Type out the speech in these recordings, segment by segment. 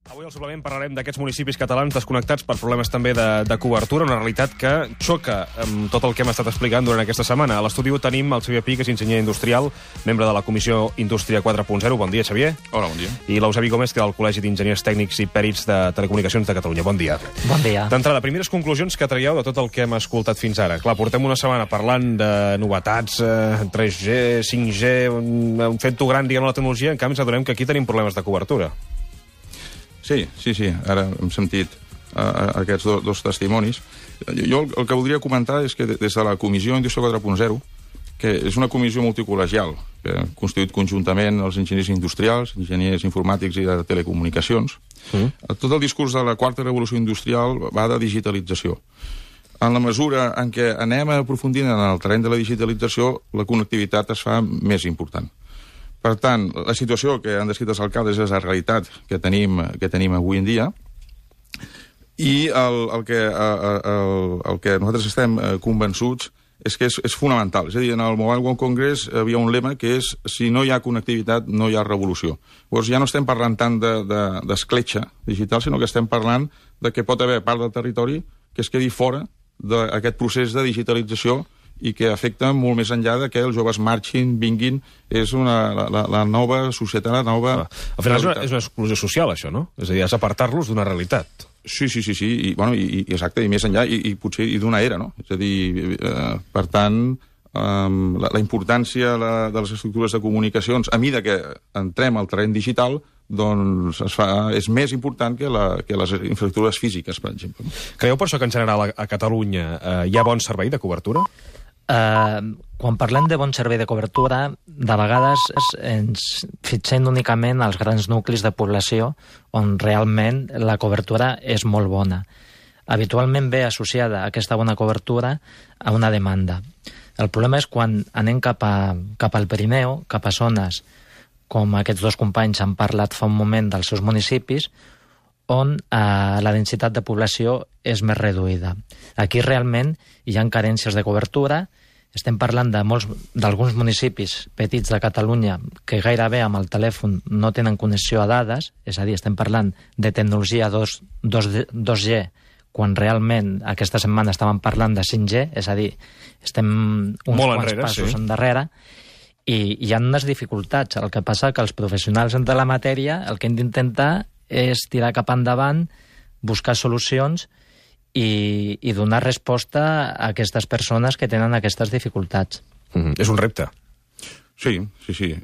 Avui al suplement parlarem d'aquests municipis catalans desconnectats per problemes també de cobertura, una realitat que xoca amb tot el que hem estat explicant durant aquesta setmana. A l'estudi tenim el Xavier Pi, que és enginyer industrial, membre de la Comissió Indústria 4.0. Bon dia, Xavier. Hola, bon dia. I l'Eusebi Gómez, que és del Col·legi d'Enginyers Tècnics i Pèrits de Telecomunicacions de Catalunya. Bon dia. Bon dia. D'entrada, primeres conclusions que traieu de tot el que hem escoltat fins ara. Clar, portem una setmana parlant de novetats, 3G, 5G, fent-ho gran, diguem, la tecnologia, en canvi ens adonem que aquí tenim problemes de cobertura. Sí. Ara hem sentit aquests dos testimonis. Jo el que voldria comentar és que des de la Comissió Indústria 4.0, que és una comissió multicol·legial, que ha constituït conjuntament els enginyers industrials, enginyers informàtics i de telecomunicacions, tot el discurs de la quarta revolució industrial va de digitalització. En la mesura en què anem aprofundint en el terreny de la digitalització, la connectivitat es fa més important. Per tant, la situació que han descrit els alcaldes és la realitat que tenim avui en dia, i el que nosaltres estem convençuts és que és fonamental. És a dir, en el Mobile World Congress hi havia un lema que és: si no hi ha connectivitat, no hi ha revolució. Llavors ja no estem parlant tant d'escletxa digital, sinó que estem parlant de que pot haver part del territori que es quedi fora d'aquest procés de digitalització i que afecta molt més enllà de que els joves marxin, vinguin. És la nova societat, la nova... Al final és una exclusió social, això, no? És a dir, has d'apartar-los d'una realitat. Sí, i exacte, i més enllà, i potser d'una era, no? És a dir, per tant, la importància de les estructures de comunicacions, a mesura que entrem al terreny digital, doncs és més important que les infraestructures físiques, per exemple. Creieu per això que en general a Catalunya hi ha bon servei de cobertura? Quan parlem de bon servei de cobertura, de vegades ens fixem únicament als grans nuclis de població on realment la cobertura és molt bona. Habitualment ve associada aquesta bona cobertura a una demanda. El problema és quan anem cap al Pirineu, cap a zones com aquests dos companys han parlat fa un moment dels seus municipis, on la densitat de població és més reduïda. Aquí realment hi ha carències de cobertura. Estem parlant d'alguns municipis petits de Catalunya que gairebé amb el telèfon no tenen connexió a dades, és a dir, estem parlant de tecnologia 2G, quan realment aquesta setmana estàvem parlant de 5G, és a dir, estem uns quants passos endarrere, i hi ha unes dificultats. El que passa que els professionals de la matèria el que hem d'intentar és tirar cap endavant, buscar solucions i donar resposta a aquestes persones que tenen aquestes dificultats. És un repte. Sí.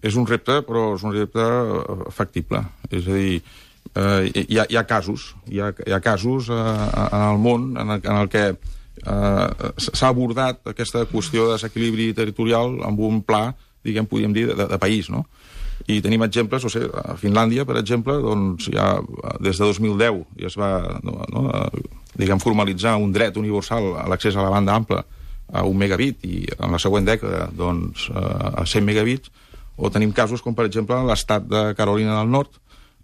És un repte, però és un repte factible. És a dir, hi ha casos en el món en el que s'ha abordat aquesta qüestió de desequilibri territorial amb un pla, diguem, podríem dir, de país, no? I tenim exemples, a Finlàndia, per exemple, doncs ja des de 2010 ja es va formalitzar un dret universal a l'accés a la banda ampla a 1 megabit i en la següent dècada doncs, a 100 megabits, o tenim casos com, per exemple, l'estat de Carolina del Nord,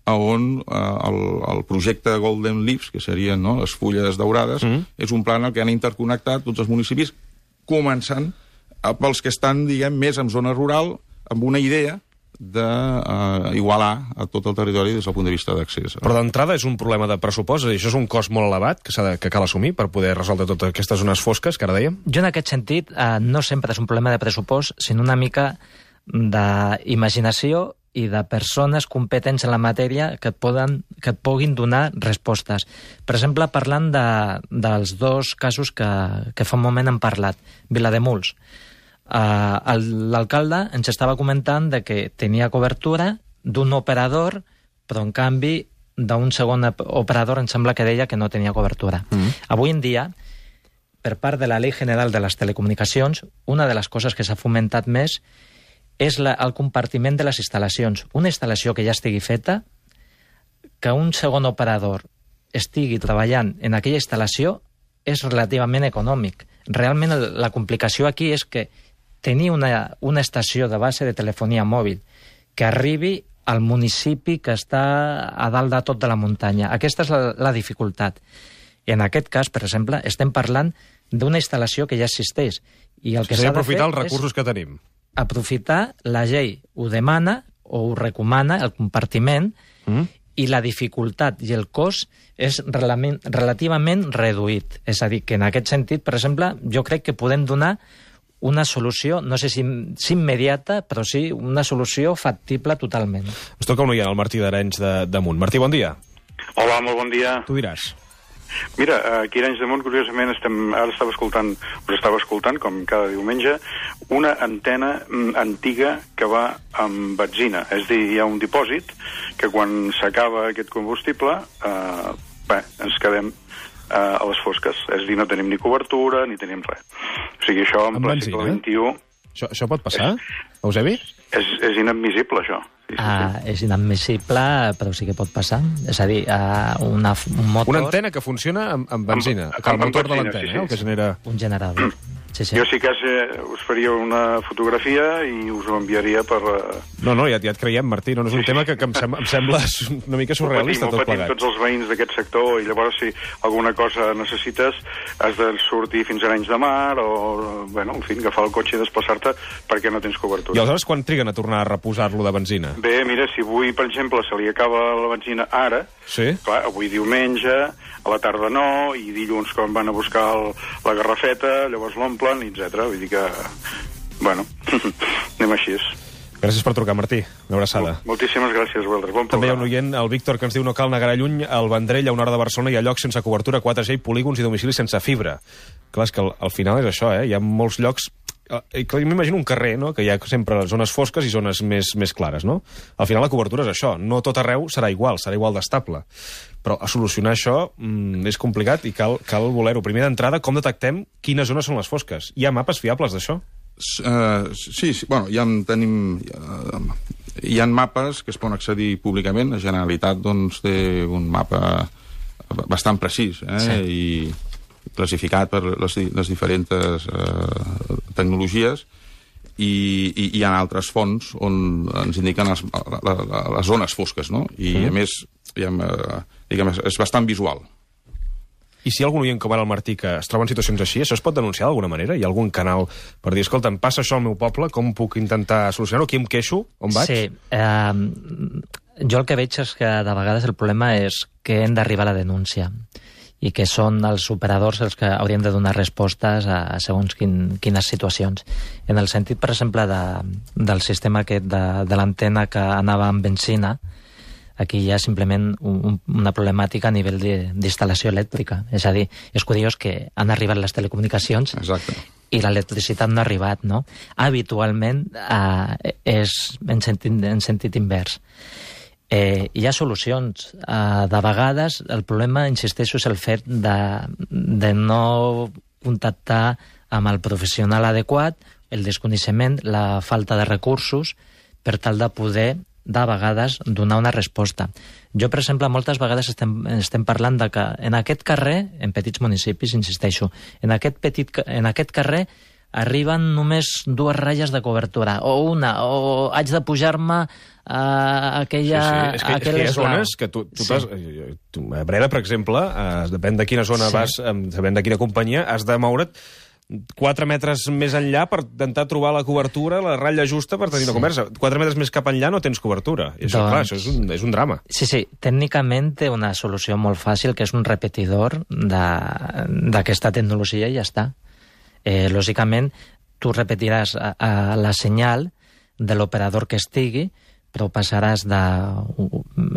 on el projecte Golden Leaves, que serien les fulles daurades, és un pla en el que han interconnectat tots els municipis, començant pels que estan, diguem, més en zona rural, amb una idea d'igualar a tot el territori des del punt de vista d'accés. Però d'entrada és un problema de pressupost, i això és un cost molt elevat que cal assumir per poder resoldre totes aquestes zones fosques que ara dèiem? Jo en aquest sentit no sempre és un problema de pressupost, sinó una mica d'imaginació i de persones competents en la matèria que et puguin donar respostes. Per exemple, parlant dels dos casos que fa un moment hem parlat, Vilademuls. L'alcalde ens estava comentant de que tenia cobertura d'un operador, però en canvi d'un segon operador em sembla que deia que no tenia cobertura. Avui en dia, per part de la Llei General de les Telecomunicacions, una de les coses que s'ha fomentat més és el compartiment de les instal·lacions. Una instal·lació que ja estigui feta, que un segon operador estigui treballant en aquella instal·lació és relativament econòmic. Realment la complicació aquí és que tenir una estació de base de telefonia mòbil que arribi al municipi que està a dalt de tot de la muntanya. Aquesta és la dificultat. En aquest cas, per exemple, estem parlant d'una instal·lació que ja existeix. I el que s'ha de fer aprofitar els recursos que tenim. Aprofitar, la llei ho demana o ho recomana, el compartiment, i la dificultat i el cost és relativament reduït. És a dir, que en aquest sentit, per exemple, jo crec que podem donar una solució, no sé si immediata, però sí una solució factible totalment. Ens toca un oient, el Martí d'Arenys de Munt. Martí, bon dia. Hola, molt bon dia. Tu diràs. Mira, aquí a Arenys de Munt, curiosament, ara estava escoltant, com cada diumenge, una antena antiga que va amb benzina. És a dir, hi ha un dipòsit que quan s'acaba aquest combustible, ens quedem a les fosques. És a dir, no tenim ni cobertura, ni tenim res. O sigui, això en ple segle XXI... Això pot passar, Eusebi? És inadmissible, això. Sí. És inadmissible, però sí que pot passar. És a dir, un motor... Una antena que funciona amb benzina. El motor de l'antena, el que genera... Un generador. Sí. Jo sí que us faria una fotografia i us ho enviaria per... No, ja et creiem, Martí. No és un tema que em sembla una mica surrealista, tot plegat. Ho patim tots els veïns d'aquest sector, i llavors si alguna cosa necessites has de sortir fins a Arenys de Mar o, en fi, agafar el cotxe i desplaçar-te perquè no tens cobertura. I aleshores quan triguen a tornar a reposar-lo de benzina? Bé, mira, si avui, per exemple, se li acaba la benzina ara, clar, avui diumenge, a la tarda no, i dilluns quan van a buscar la garrafeta, llavors l'omplen, etc. Vull dir que, anem així. Gràcies per trucar, Martí. Una abraçada. Moltíssimes gràcies, Welder. Bon programa. També hi ha un oient, el Víctor, que ens diu no cal negar lluny, al Vendrell, a una hora de Barcelona, hi ha llocs sense cobertura 4G i polígons i domicilis sense fibra. Clar, és que al final és això, Hi ha molts llocs... Jo m'imagino un carrer, no?, que hi ha sempre zones fosques i zones més clares, no? Al final la cobertura és això. No tot arreu serà igual d'estable. Però a solucionar això és complicat i cal voler-ho. Primer d'entrada, com detectem quines zones són les fosques? Hi ha mapes fiables d'això? Sí, hi ha mapes que es poden accedir públicament. La Generalitat té un mapa bastant precís i classificat per les diferents tecnologies, i hi ha altres fonts on ens indiquen les zones fosques, no? I a més, és bastant visual. I si hi ha algun oient com ara el Martí que es troba en situacions així, això es pot denunciar d'alguna manera? Hi ha algun canal per dir, escolta, em passa això al meu poble, com puc intentar solucionar-ho? Aquí em queixo? On vaig? Sí, jo el que veig és que de vegades el problema és que hem d'arribar a la denúncia i que són els operadors els que haurien de donar respostes a segons quines situacions. En el sentit, per exemple, del sistema aquest de l'antena que anava amb benzina, aquí hi ha simplement una problemàtica a nivell d'instal·lació elèctrica. És a dir, és curiós que han arribat les telecomunicacions i l'electricitat no ha arribat, no? Habitualment és en sentit invers. Hi ha solucions. De vegades el problema, insisteixo, és el fet de no contactar amb el professional adequat, el desconeixement, la falta de recursos, per tal de poder, de vegades, donar una resposta. Jo, per exemple, moltes vegades estem parlant de que en aquest carrer, en petits municipis, insisteixo, en aquest carrer arriben només 2 ratlles de cobertura, o una, o haig de pujar-me a aquella... És que hi ha zones que tu a Breda, per exemple, depèn de quina zona vas, depèn de quina companyia, has de moure't 4 metres més enllà per intentar trobar la cobertura, la ratlla justa per tenir una conversa. 4 metres més cap enllà no tens cobertura. I això, clar, això és un drama. Sí, tècnicament té una solució molt fàcil, que és un repetidor d'aquesta tecnologia i ja està. Lògicament, tu repetiràs la senyal de l'operador que estigui, però passaràs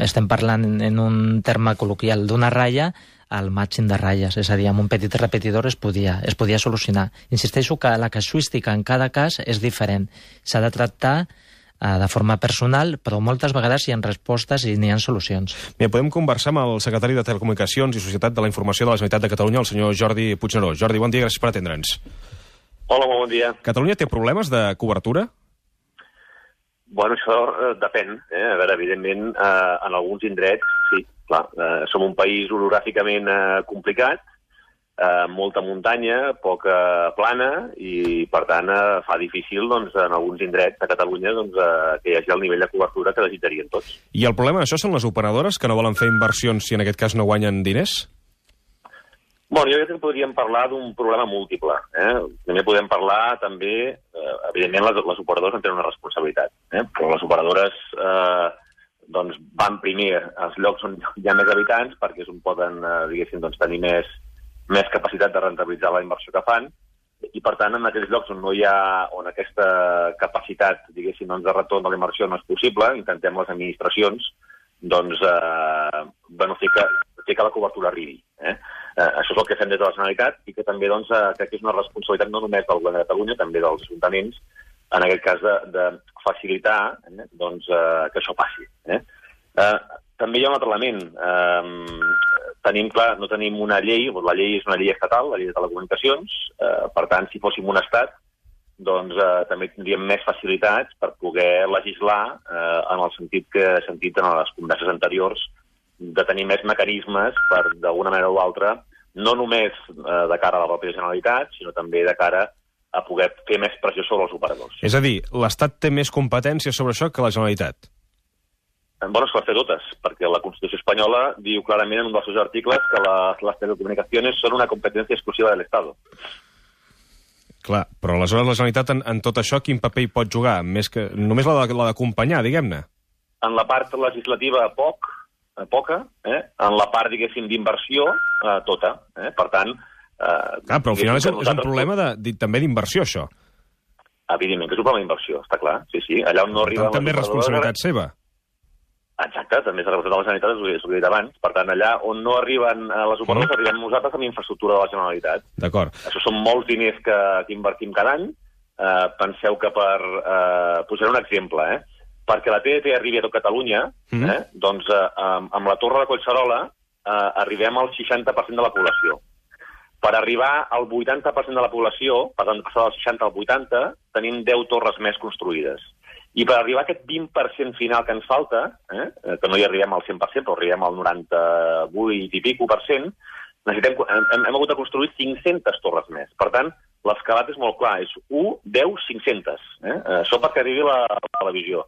estem parlant en un terme col·loquial d'una ratlla al màxim de ratlles, és a dir, amb un petit repetidor es podia solucionar. Insisteixo que la casuística en cada cas és diferent. S'ha de tractar de forma personal, però moltes vegades hi ha respostes i n'hi ha solucions. Bé, podem conversar amb el secretari de Telecomunicacions i Societat de la Informació de la Generalitat de Catalunya, el senyor Jordi Puigneró. Jordi, bon dia, gràcies per atendre'ns. Hola, molt bon dia. Catalunya té problemes de cobertura? Bueno, això depèn. A veure, evidentment, en alguns indrets, sí, clar. Som un país orogràficament complicat, molta muntanya, poca plana, i, per tant, fa difícil, doncs, en alguns indrets de Catalunya, doncs, que hi hagi el nivell de cobertura que desitjarien tots. I el problema d'això són les operadores que no volen fer inversions si en aquest cas no guanyen diners? Bueno, jo crec que podríem parlar d'un problema múltiple. També podem parlar, també, evidentment, les operadores en tenen una responsabilitat, però les operadores doncs van primer als llocs on hi ha més habitants, perquè és on poden, diguéssim, doncs, tenir més capacitat de rentabilitzar la inversió que fan, i per tant en aquells llocs on no hi ha, on aquesta capacitat, diguéssim, doncs, de retorn de la inversió no és possible, intentem les administracions doncs, fer que la cobertura arribi. Això és el que fem des de la Generalitat i que també doncs, crec que és una responsabilitat no només del Govern de Catalunya, també dels ajuntaments, en aquest cas de facilitar doncs, que això passi. També hi ha un altre element. No tenim una llei, la llei és una llei estatal, la llei de telecomunicacions, per tant, si fóssim un estat, doncs també tindríem més facilitats per poder legislar en el sentit que he sentit en les converses anteriors, de tenir més mecanismes per, d'alguna manera o altra, no només de cara a la pròpia Generalitat, sinó també de cara a poder fer més pressió sobre els operadors. És a dir, l'Estat té més competències sobre això que la Generalitat? Bueno, es pot fer totes, perquè la Constitució espanyola diu clarament en un dels seus articles que les telecomunicacions són una competència exclusiva de l'Estat. Clar, però aleshores la Generalitat en tot això quin paper hi pot jugar? Només la d'acompanyar, diguem-ne? En la part legislativa, poca, en la part, diguéssim, d'inversió, tota. Per tant... però al final és un problema també d'inversió, això. Evidentment que és un problema d'inversió, està clar. Sí. Allà on no arriba... També és responsabilitat seva. Exacte, també és la responsabilitat de la Generalitat, us ho he dit abans. Per tant, allà on no arriben les operadores, arribem nosaltres amb infraestructura de la Generalitat. D'acord. Això són molts diners que invertim cada any. Penseu que posaré un exemple, perquè la TDT arribi a tot Catalunya, doncs amb la Torre de Collserola arribem al 60% de la població. Per arribar al 80% de la població, per tant, passar del 60 al 80, tenim 10 torres més construïdes. I per arribar a aquest 20% final que ens falta, que no hi arribem al 100%, però arribem al 98 i pico per cent, hem hagut de construir 500 torres més. Per tant, l'escalat és molt clar, és 1, 10, 500. Això perquè arribi la televisió.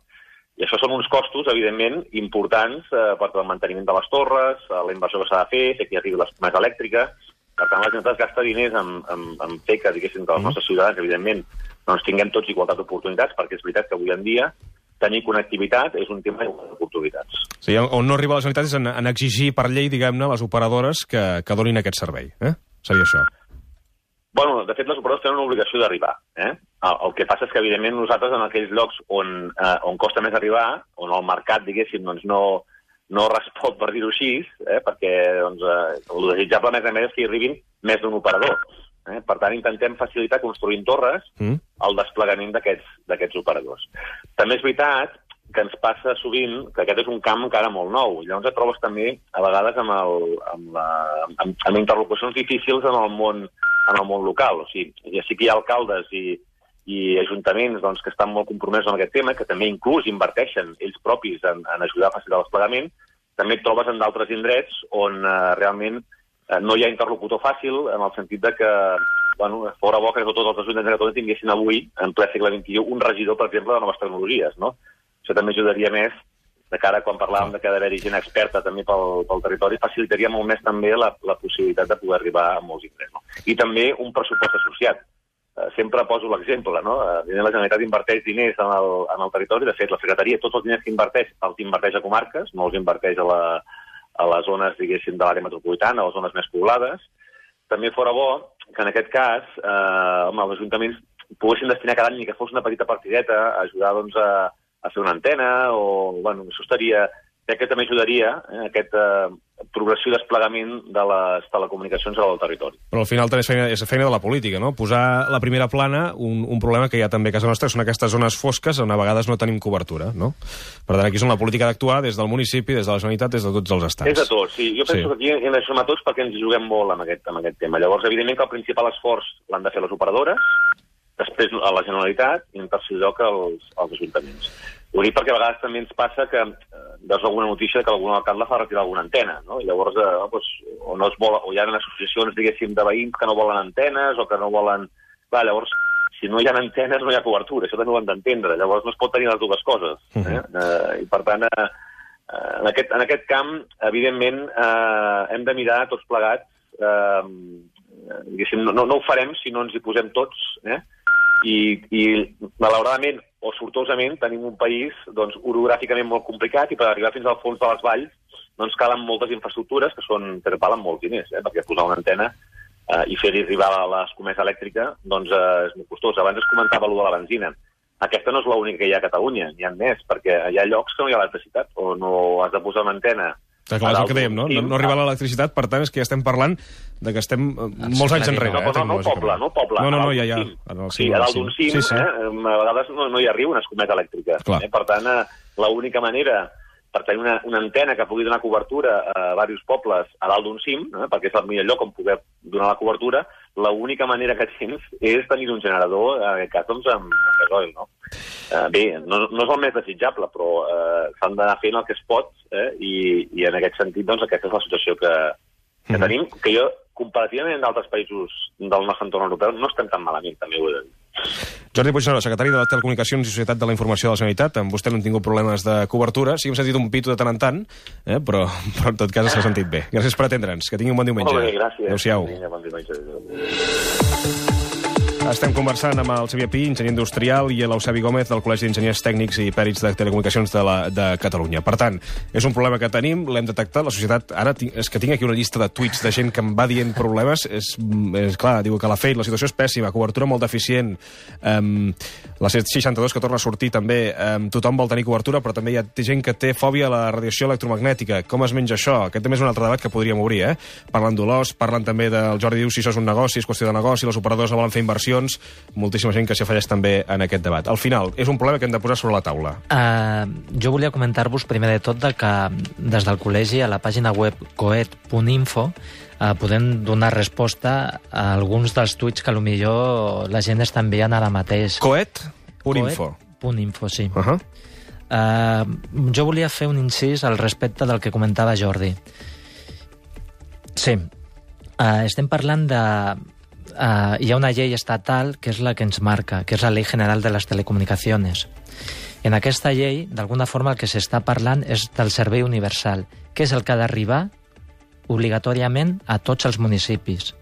I això són uns costos, evidentment, importants per al manteniment de les torres, la inversió que s'ha de fer que hi arribi l'escomesa elèctrica. Per tant, la Generalitat gasta diners en fer que, diguéssim, que els nostres ciutadans, evidentment, doncs tinguem tots igualtat d'oportunitats, perquè és veritat que avui en dia tenir connectivitat és un tema d'oportunitats. Sí, on no arriba la Generalitat és en exigir per llei, diguem-ne, les operadores que donin aquest servei. Seria això. Bueno, de fet, les operadores tenen una obligació d'arribar. El que passa és que, evidentment, nosaltres en aquells llocs on costa més arribar, on el mercat, diguéssim, doncs no respon, per dir-ho així, perquè el desitjable, a més, és que hi arribin més d'un operador. Per tant, intentem facilitar construint torres el desplegament d'aquests operadors. També és veritat que ens passa sovint que aquest és un camp encara molt nou. Llavors et trobes també, a vegades, amb interlocucions difícils en el món local. O sigui, ja sí que hi ha alcaldes i ajuntaments doncs, que estan molt compromesos amb aquest tema, que també inclús inverteixen ells propis en ajudar a facilitar el desplegament. També et trobes en d'altres indrets on realment no hi ha interlocutor fàcil, en el sentit de que, fora bo que tots els ajuntaments de Catalunya tinguessin avui, en ple segle XXI, un regidor, per exemple, de noves tecnologies, no? Això també ajudaria més, de cara quan parlàvem que ha d'haver-hi gent experta també pel territori, facilitaria molt més també la possibilitat de poder arribar a molts indrets. No? I també un pressupost associat. Sempre poso l'exemple, no? La Generalitat inverteix diners en el territori, de fet, la Secretaria, tots els diners que inverteix, els inverteix a comarques, no els inverteix a les zones, diguéssim, de l'àrea metropolitana, a les zones més poblades. També fora bo que, en aquest cas, els ajuntaments poguessin destinar cada any ni que fos una petita partideta a ajudar, doncs, a fer una antena, això crec que també ajudaria aquest progressiu desplegament de les telecomunicacions al territori. Però al final també és feina de la política, no? Posar la primera plana un problema que hi ha també a casa nostra, que són aquestes zones fosques on a vegades no tenim cobertura, no? Per tant, aquí és on la política d'actuar des del municipi, des de la Generalitat, des de tots els estats. És de tots, sí. Jo penso que aquí hem de sumar tots perquè ens hi juguem molt amb aquest tema. Llavors, evidentment que el principal esforç l'han de fer les operadores, després a la Generalitat i en tercer lloc als ajuntaments. Ho dic perquè a vegades també ens passa que veus alguna notícia que algun alcalde fa retirar alguna antena, no? I llavors o hi ha associacions, diguéssim, de veïns que no volen antenes o que no volen... Clar, llavors, si no hi ha antenes no hi ha cobertura, això també ho hem d'entendre. Llavors no es pot tenir les dues coses. I per tant, en aquest camp, evidentment, hem de mirar tots plegats, diguéssim, no ho farem si no ens hi posem tots, i malauradament o sortosament tenim un país doncs, orogràficament molt complicat i per arribar fins al fons de les valls doncs, calen moltes infraestructures que valen molts diners, perquè posar una antena i fer-hi arribar l'escomesa elèctrica doncs, és molt costós. Abans es comentava allò de la benzina. Aquesta no és l'única que hi ha a Catalunya, n'hi ha més, perquè hi ha llocs que no hi ha electricitat, o no has de posar una antena. Clar, és el que dèiem, no? No arriba l'electricitat, per tant, és que ja estem parlant de que estem molts anys enrere. No el poble. No, ja. Sí, a dalt d'un cim, a vegades no hi arriba una escomesa elèctrica. Per tant, l'única manera per tenir una antena que pugui donar cobertura a diversos pobles a dalt d'un cim, perquè és el millor lloc on poder donar la cobertura, l'única manera que tens és tenir un generador, en aquest cas, doncs, amb gasoil, no? Bé, no és el més desitjable, però s'han d'anar fent el que es pot, i en aquest sentit, doncs, aquesta és la situació que tenim, que jo, comparativament amb d'altres països del nostre entorn europeu, no estem tan malament, també ho he de dir. Jordi Puigneró, secretari de les Telecomunicacions i Societat de la Informació de la Generalitat. Amb vostè no hem tingut problemes de cobertura. Sí que hem sentit un pito de tant en tant, però en tot cas s'ha sentit bé. Gràcies per atendre'ns. Que tingui un bon diumenge. Molt bé, gràcies. Adéu-siau. Bon diumenge. Estem conversant amb el Xavier Pi, enginyer industrial, i l'Eusebi Gómez, del Col·legi d'Enginyers Tècnics i Pèrits de Telecomunicacions de Catalunya. Per tant, és un problema que tenim, l'hem detectat, la societat... Ara és que tinc aquí una llista de tuits de gent que em va dient problemes. És clar, diu que la situació és pèssima, cobertura molt deficient, la C62 que torna a sortir també, tothom vol tenir cobertura, però també hi ha gent que té fòbia a la radiació electromagnètica. Com es menja això? Aquest també és un altre debat que podríem obrir, Parlen d'olors, parlen també del Jordi diu si això és un negoci, és qüestió de negoci, les operadors no volen fer inversions, moltíssima gent que s'hi afegeix també en aquest debat. Al final, és un problema que hem de posar sobre la taula. Jo volia comentar-vos primer de tot que des del col·legi a la pàgina web coet.info podem donar resposta a alguns dels tuits que potser la gent està enviant ara mateix. Coet.info. Coet.info, sí. Jo volia fer un incís al respecte del que comentava Jordi. Sí, estem parlant de... hi ha una llei estatal que és la que ens marca, que és la Ley General de les Telecomunicaciones. En aquesta llei, d'alguna forma, el que s'està parlant és del servei universal, que és el que ha d'arribar obligatòriament a tots els municipis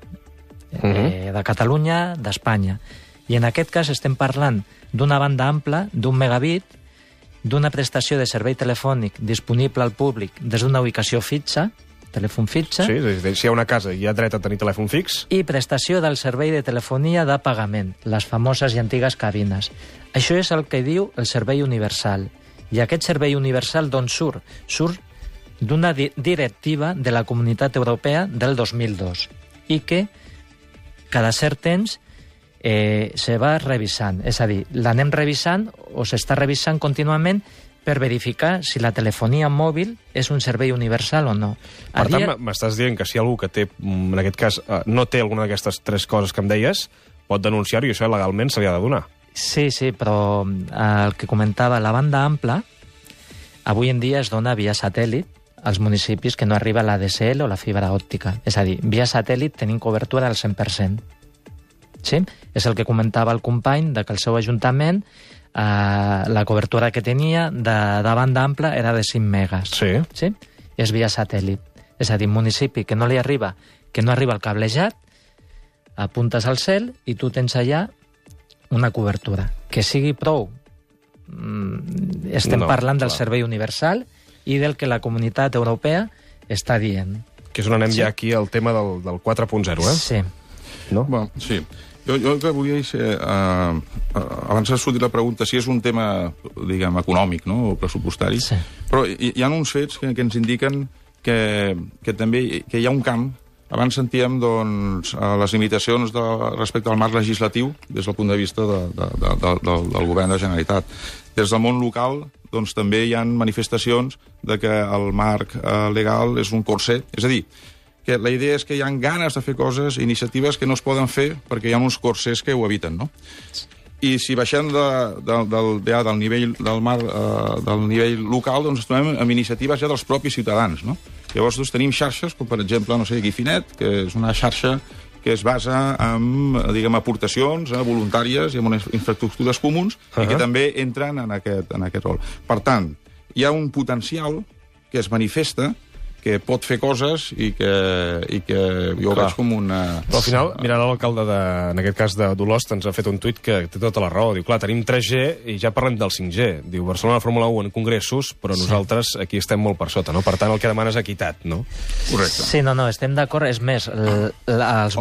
de Catalunya, d'Espanya. I en aquest cas estem parlant d'una banda ampla, d'un megabit, d'una prestació de servei telefònic disponible al públic des d'una ubicació fixa, telèfon fitxa... Sí, si hi ha una casa i hi ha dret a tenir telèfon fix... I prestació del servei de telefonia de pagament, les famoses i antigues cabines. Això és el que diu el servei universal. I aquest servei universal d'on surt? Surt d'una directiva de la Comunitat Europea del 2002 i que cada cert temps se va revisant. És a dir, l'anem revisant o s'està revisant contínuament per verificar si la telefonia mòbil és un servei universal o no. Per tant, m'estàs dient que si algú que té, en aquest cas, no té alguna d'aquestes tres coses que em deies, pot denunciar-ho i això legalment se li ha de donar. Sí, però el que comentava, la banda ampla, avui en dia es dona via satèl·lit als municipis que no arriba la DSL o la fibra òptica. És a dir, via satèl·lit tenim cobertura al 100%. Sí? És el que comentava el company, que el seu ajuntament la cobertura que tenia de banda ampla era de 5 megas. Sí. És via satèl·lit. És a dir, un municipi que no arriba el cablejat, apuntes al cel i tu tens allà una cobertura. Que sigui prou. Estem parlant del servei universal i del que la Comunitat Europea està dient. Que és on anem ja aquí al tema del 4.0, Sí. No? Bueno, sí. Jo el que volia és... abans ha sortit la pregunta si és un tema, diguem, econòmic, no?, o pressupostari, sí. Però hi ha uns fets que ens indiquen que també hi ha un camp. Abans sentíem, doncs, les limitacions respecte al marc legislatiu des del punt de vista del govern de la Generalitat. Des del món local, doncs, també hi ha manifestacions de que el marc legal és un corset. És a dir, que la idea és que hi ha ganes de fer coses, iniciatives que no es poden fer perquè hi ha uns corsers que ho eviten, no? I si baixem del nivell del mar, del nivell local, doncs trobem amb iniciatives ja dels propis ciutadans, no? Llavors doncs, tenim xarxes, com per exemple, no sé, Guifinet, que és una xarxa que es basa en, diguem, aportacions voluntàries i en unes infraestructures comuns i que també entren en aquest rol. Per tant, hi ha un potencial que es manifesta que pot fer coses i que jo ho veig com una... Però al final, mira, l'alcalde, en aquest cas d'Olost, ens ha fet un tuit que té tota la raó. Diu, clar, tenim 3G i ja parlem del 5G. Diu, Barcelona Fórmula 1 en congressos, però nosaltres aquí estem molt per sota, no? Per tant, el que demana és equitat, no? Correcte. Sí, no, estem d'acord. És més, els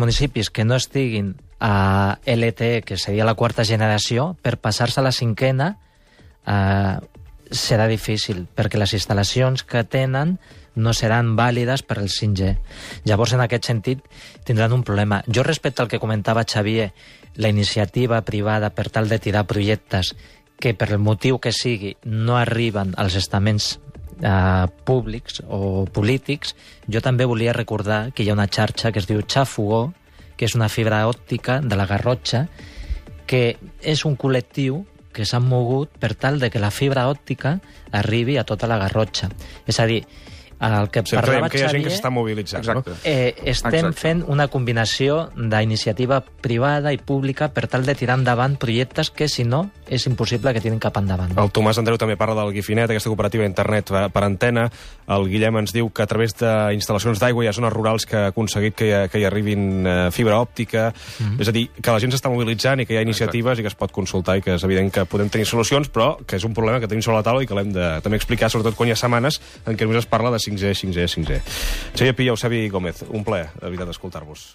municipis que no estiguin a LTE, que seria la quarta generació, per passar-se a la cinquena, serà difícil, perquè les instal·lacions que tenen no seran vàlides per al 5G. Llavors, en aquest sentit, tindran un problema. Jo, respecte al que comentava Xavier, la iniciativa privada per tal de tirar projectes que, per el motiu que sigui, no arriben als estaments públics o polítics, jo també volia recordar que hi ha una xarxa que es diu Xafugó, que és una fibra òptica de la Garrotxa, que és un col·lectiu que s'han mogut per tal de que la fibra òptica arribi a tota la Garrotxa. És a dir, el que parlava que hi ha gent Xavier... que s'està mobilitzant, Exacte. no? Estem fent una combinació d'iniciativa privada i pública per tal de tirar endavant projectes que, si no, és impossible que tirin cap endavant. El Tomàs Andreu també parla del Guifinet, aquesta cooperativa d'internet per antena. El Guillem ens diu que a través d'instal·lacions d'aigua hi ha zones rurals que ha aconseguit que hi arribin fibra òptica. És a dir, que la gent s'està mobilitzant i que hi ha iniciatives i que es pot consultar i que és evident que podem tenir solucions, però que és un problema que tenim sobre la taula i que l'hem de també explicar, sobretot quan hi ha setmanes en què només es parla de 5G. Xavier Pi i Eusebi Gómez, un plaer, de veritat, escoltar-vos.